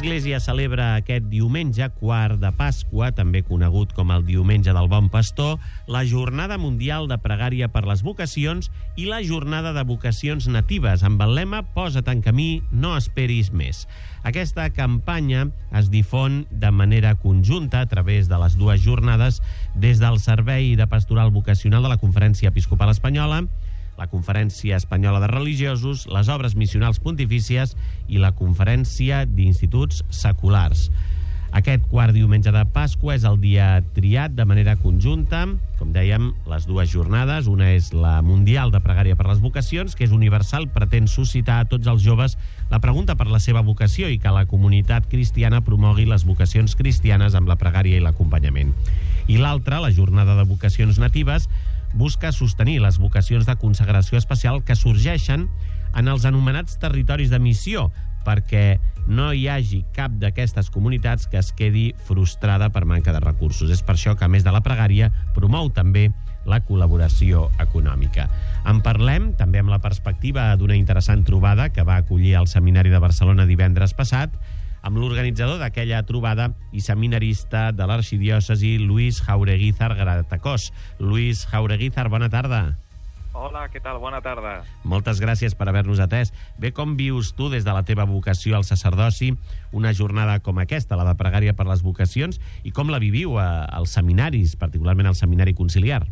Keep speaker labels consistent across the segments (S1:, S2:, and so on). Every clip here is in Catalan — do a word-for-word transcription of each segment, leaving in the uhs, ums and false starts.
S1: L'Església celebra aquest diumenge, quart de Pasqua, també conegut com el Diumenge del Bon Pastor, la Jornada Mundial de Pregària per les Vocacions i la Jornada de Vocacions Natives, amb el lema «Posa't en camí, no esperis més». Aquesta campanya es difon de manera conjunta a través de les dues jornades des del Servei de Pastoral Vocacional de la Conferència Episcopal Espanyola, la Conferència Espanyola de Religiosos, les Obres Missionals Pontifícies i la Conferència d'Instituts Seculars. Aquest quart diumenge de Pasqua és el dia triat de manera conjunta, com dèiem, les dues jornades. Una és la Mundial de Pregària per les Vocacions, que és universal, pretén suscitar a tots els joves la pregunta per la seva vocació i que la comunitat cristiana promogui les vocacions cristianes amb la pregària i l'acompanyament. I l'altra, la Jornada de Vocacions Natives, busca sostenir les vocacions de consagració especial que sorgeixen en els anomenats territoris de missió, perquè no hi hagi cap d'aquestes comunitats que es quedi frustrada per manca de recursos. És per això que, a més de la pregària, promou també la col·laboració econòmica. En parlem també amb la perspectiva d'una interessant trobada que va acollir el Seminari de Barcelona divendres passat, amb l'organitzador d'aquella trobada i seminarista de l'arxidiòcesi, Luis Jaureguizar Gratacós. Luis Jaureguizar, bona tarda.
S2: Hola, què tal? Bona tarda.
S1: Moltes gràcies per haver-nos atès. Bé, com vius tu, des de la teva vocació al sacerdoci, una jornada com aquesta, la de pregària per les vocacions, i com la viviu a, als seminaris, particularment al Seminari Conciliar?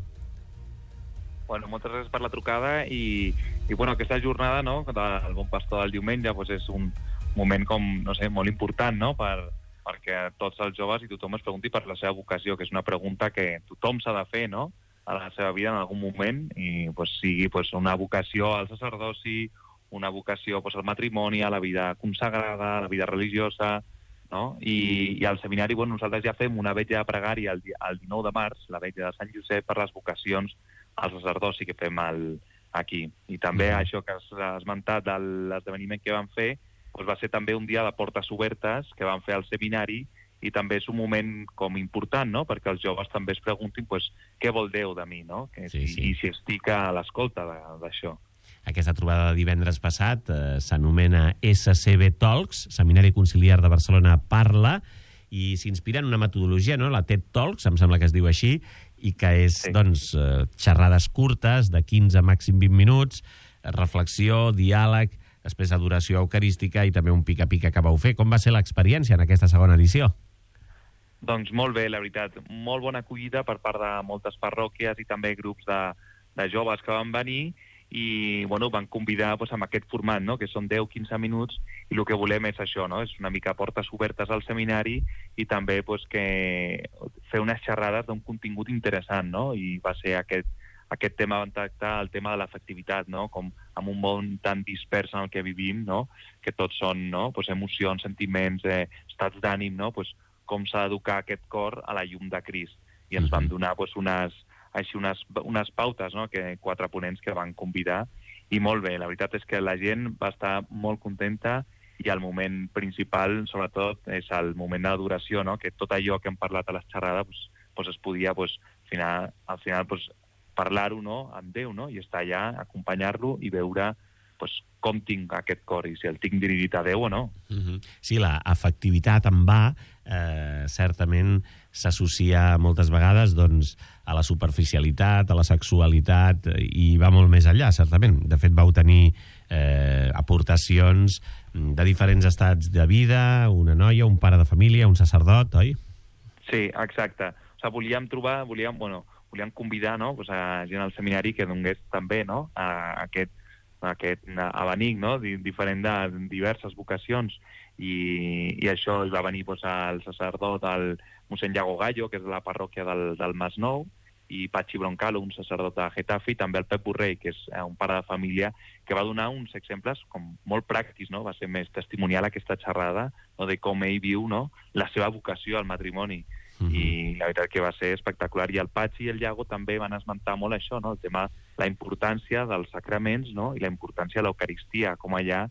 S2: Bueno, moltes gràcies per la trucada i, i bueno, aquesta jornada, no, del Bon Pastor del diumenge, doncs és un moment com, no sé, molt important, no?, per, perquè tots els joves i tothom es pregunti per la seva vocació, que és una pregunta que tothom s'ha de fer, no?, a la seva vida en algun moment, i pues, sigui pues, una vocació al sacerdoci, una vocació pues, al matrimoni, a la vida consagrada, a la vida religiosa, no? I, i al seminari, bueno, nosaltres ja fem una vetlla de pregària el, el dinou de març, la vetlla de Sant Josep, per les vocacions al sacerdoci que fem el, aquí. I també mm. això que has esmentat de l'esdeveniment que vam fer, pues, va ser també un dia de portes obertes que vam fer al seminari, i també és un moment com important, no?, perquè els joves també es preguntin pues, què vol Déu de mi, no?, que, sí, sí. I, i si estic a l'escolta d'això.
S1: Aquesta trobada de divendres passat eh, s'anomena S C B Talks, Seminari Conciliar de Barcelona Parla, i s'inspira en una metodologia, no?, la TED Talks, em sembla que es diu així, i que és, sí. doncs, eh, xerrades curtes, de quinze a màxim vint minuts, reflexió, diàleg, després adoració eucarística i també un pica-pica que vau fer. Com va ser l'experiència en aquesta segona edició?
S2: Doncs molt bé, la veritat. Molt bona acollida per part de moltes parròquies i també grups de, de joves que van venir i bueno, van convidar doncs, amb aquest format, no?, que són deu a quinze minuts, i el que volem és això, no?, és una mica portes obertes al seminari i també doncs, que fer unes xerrades d'un contingut interessant, no?, i va ser aquest, aquest tema, van tractar el tema de l'afectivitat, no?, com amb un món tan dispers en el que vivim, no?, que tots són, no?, doncs, emocions, sentiments, eh, estats d'ànim, no?, doncs, com s'ha d'educar aquest cor a la llum de Crist. I ens van donar doncs, unes, així unes, unes pautes, no?, que quatre ponents que van convidar, i molt bé. La veritat és que la gent va estar molt contenta i el moment principal, sobretot, és el moment d'adoració, no?, que tot allò que hem parlat a les xerrades doncs, doncs es podia, doncs, al final, al final doncs, parlar-ho, no?, amb Déu, no?, i estar allà, acompanyar-lo i veure pues, com tinc aquest cor i si el tinc dirigit a Déu o no.
S1: Uh-huh. Sí, la afectivitat en va eh, certament s'associa moltes vegades doncs, a la superficialitat, a la sexualitat, i va molt més enllà, certament. De fet, vau tenir eh, aportacions de diferents estats de vida, una noia, un pare de família, un sacerdot, oi?
S2: Sí, exacte. O sigui, volíem trobar, volíem, bueno, volíem convidar, no?, pues, a gent al seminari que donés també, no?, a aquest aquest abanic, no?, diferent de diverses vocacions, i, i això es va venir pues, el sacerdot, el mossèn Iago Gallo, que és de la parròquia del, del Masnou, i Patxi Broncalo, un sacerdot de Getafe, i també el Pep Borrell, que és un pare de família, que va donar uns exemples com molt pràctics, no?, va ser més testimonial aquesta xerrada, no?, de com ell viu, no?, la seva vocació al matrimoni. Uh-huh. I la veritat que va ser espectacular. I el Patxi i el Iago també van esmentar molt això, no?, el tema, la importància dels sacraments, no?, i la importància de l'Eucaristia, com allà,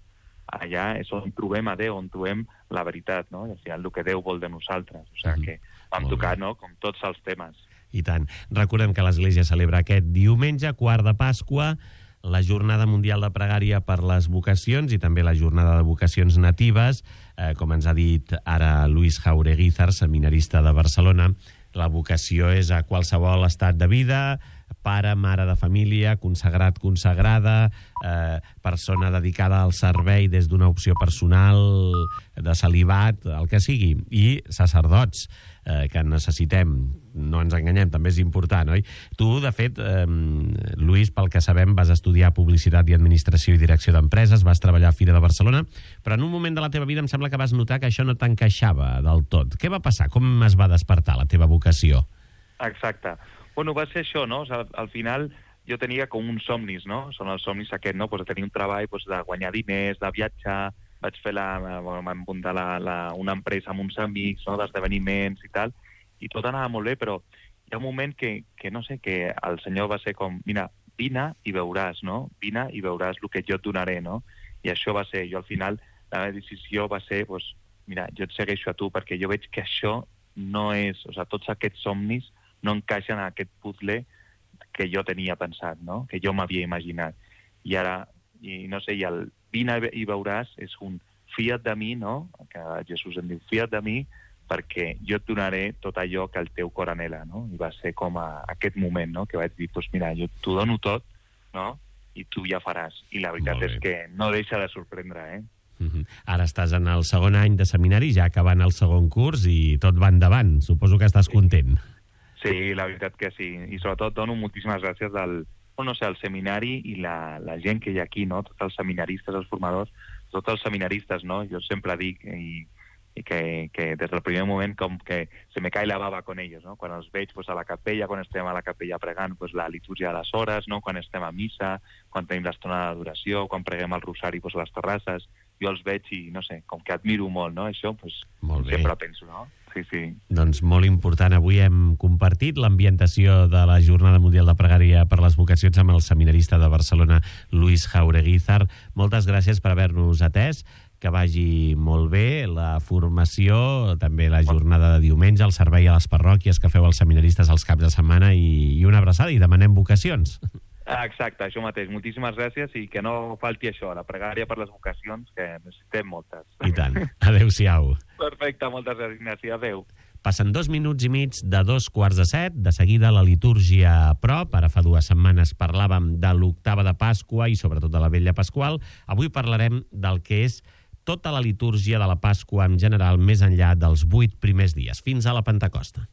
S2: allà és on trobem a Déu, on trobem la veritat, no?, i al final el que Déu vol de nosaltres. O sigui que vam tocar, no?, com tots els temes.
S1: I tant. Recordem que l'Església celebra aquest diumenge, quart de Pasqua, la Jornada Mundial de Pregària per les Vocacions i també la Jornada de Vocacions Natives. Eh, com ens ha dit ara Luis Jaureguizar, seminarista de Barcelona, la vocació és a qualsevol estat de vida, pare, mare de família, consagrat, consagrada, eh, persona dedicada al servei des d'una opció personal, de celibat, el que sigui, i sacerdots, eh, que necessitem. No ens enganyem, també és important, oi? Tu, de fet, eh, Lluís, pel que sabem, vas estudiar Publicitat i Administració i Direcció d'Empreses, vas treballar a Fira de Barcelona, però en un moment de la teva vida em sembla que vas notar que això no t'encaixava del tot. Què va passar? Com es va despertar la teva vocació?
S2: Exacte. Bueno, va ser això, no? O sigui, al final jo tenia com uns somnis, no? Són els somnis aquests, no? Pues de tenir un treball, pues de guanyar diners, de viatjar, vaig fer la, vam muntar la, la, una empresa amb uns amics, no? D'esdeveniments i tal, i tot anava molt bé, però hi ha un moment que, que no sé, que el senyor va ser com, mira, vine i veuràs, no? Vine i veuràs el que jo et donaré, no? I això va ser, jo al final, la meva decisió va ser, pues, mira, jo et segueixo a tu, perquè jo veig que això no és, o sigui, tots aquests somnis no encaixen en aquest puzzle que jo tenia pensat, no? Que jo m'havia imaginat. I ara, i no sé, i el vine i veuràs és un fia't de mi, no? Que Jesús em diu, fia't de mi, perquè jo et donaré tot allò que el teu cor anhela, no? I va ser com a aquest moment, no? Que vaig dir, doncs pues mira, jo t'ho dono tot, no? I tu ja faràs. I la veritat és que no deixa de sorprendre, eh?
S1: Uh-huh. Ara estàs en el segon any de seminari, ja acabant el segon curs i tot va endavant. Suposo que estàs content.
S2: Sí, la veritat que sí. I sobretot dono moltíssimes gràcies al, no sé, al seminari i la, la gent que hi ha aquí, no? Tots els seminaristes, els formadors, tots els seminaristes, no? Jo sempre dic i, i que, que des del primer moment com que se me cae la baba con ellos, no? Quan els veig pues, a la capella, quan estem a la capella pregant pues, la litúrgia de les hores, no? Quan estem a missa, quan tenim l'estona d'adoració, quan preguem el rosari pues, a les terrasses, jo els veig i, no sé, com que admiro molt, no? Això, pues, sempre penso, no? Sí, sí.
S1: Doncs molt important. Avui hem compartit l'ambientació de la Jornada Mundial de Pregària per les Vocacions amb el seminarista de Barcelona, Luis Jaureguizar. Moltes gràcies per haver-nos atès. Que vagi molt bé la formació, també la jornada de diumenge, el servei a les parròquies que feu els seminaristes els caps de setmana i, i una abraçada i demanem vocacions.
S2: Exacte, això mateix. Moltíssimes gràcies i que no falti això, la pregària per les vocacions, que necessitem moltes.
S1: I tant. Adéu-siau.
S2: Perfecte, moltes gràcies, Ignasi. Adéu.
S1: Passen dos minuts i mig de dos quarts de set. De seguida la litúrgia a prop. Ara fa dues setmanes parlàvem de l'octava de Pasqua i sobretot de la Vetlla Pasqual. Avui parlarem del que és tota la litúrgia de la Pasqua en general, més enllà dels vuit primers dies, fins a la Pentecosta.